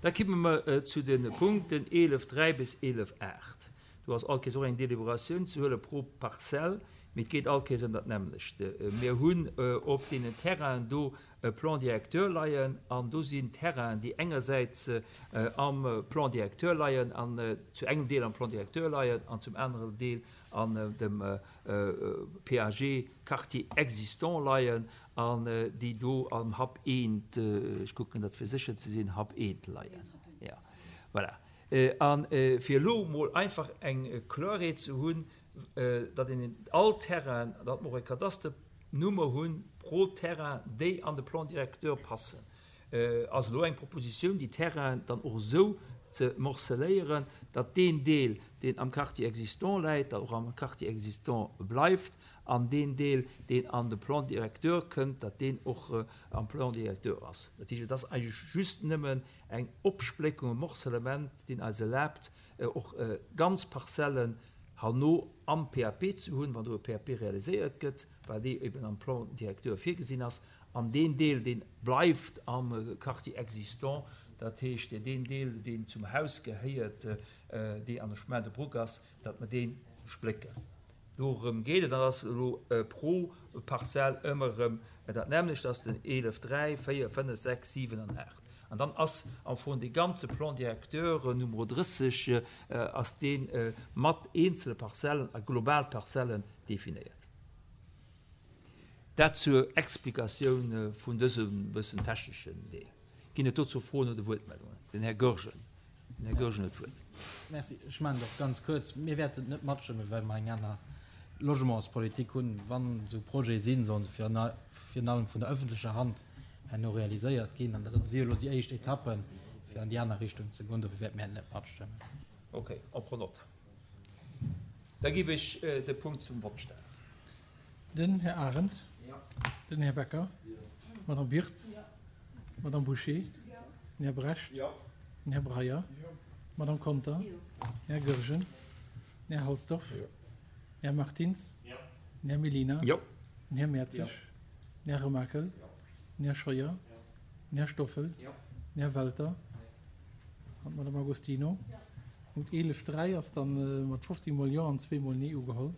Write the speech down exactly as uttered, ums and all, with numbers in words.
Da kimme mer zu de Punkten eelef dräi bis eelef aacht. Do ass all Kees och eng Deliberatioun ze huele pro Parzell, mee et geet all Kees ëm dat nämmlecht. Mir hunn op deenen Terrainen do e Plan directeur leien an do sinn Terrainen, déi engersäits am Plan directeur leien an zu engem Deel am Plan directeur leien an zum aneren Deel an dem P A G Quartier existant leien an déi do am H A P eent, ech kucken dat fir sécher ze sinn, H A P eent leien. Ja, voilà. A fir elo mol einfach eng Kloerheet ze hunn, datt een all Terrain, datt mer och e Kadasternummer hunn pro Terrain, déi an de Plan directeur passen, ass elo eng Propositioun, déi Terrainen dann och esou ze morceléieren, datt deen Deel, deen am Quartier existant läit, da och am Quartier existant bleift, an deen Deel, deen an de Plan directeur kënnt, datt deen och am Plan directeur ass. Dat heescht, et ass eigentlech just nëmmen eng Opspléckung, e Morcellement, deen eis erlaabt, och ganz Parzellen herno am P A P ze hunn, wann do e P A P realiséiert gëtt, well déi eben am Plan directeur virgesinn ass, an deen Deel, dee bleift am Quartier existant, dat heescht deen Deel, deen zum Haus gehéiert, dee an der Chemin de Brouck ass, datt mer dee splécken. Dorëm geet et, an ass elo pro Parzell ëmmer erëm dat nämmlecht, ass den eelef, dräi, véier, fënnef, sechs, siwen an aacht. An dann ass am Fong dee ganze Plan directeur Numero drësseg ass dee mat eenzele Parzellen a global Parzellen definéiert. Dat zur Explikatioun vun dësem bëssen techneschen Deel. Ginn et dozou Froen oder Wuertmeldungen? Den Här Goergen. Den Här Goergen huet d'Wuert. Merci. Ech maachen et och ganz kuerz. Mir wäerten et net matstëmmen, well mer eng aner Logementspolitik hunn. Wann esou Projete sinn, sollen se virun allem vun der öffentlecher Hand herno realiséiert ginn. An dat si elo déi éischt Etappen, fir an déi aner Richtung ze goen. Dofir wäerte mir et net matstëmmen. Ok, on prend note. Da géif ech de Punkt zum Vott stellen. Den Här Arendt. Den Här Becker. D'Madame Birtz. D'Madame Bouché. Den Här Brecht. Den Här Breyer. D'Madame Conter. Den Här Goergen. Den Här Halsdorf. Den Här Martins. Den Här Mellina. Den Här Mertzig. Den Här Remakel. Den Här Scheuer. Den Här Stoffel. Den Här Welter. An d'Madame Agostino. Punkt eelef dräi ass dann mat fofzéng mol Jo an zwee mol Nee ugeholl.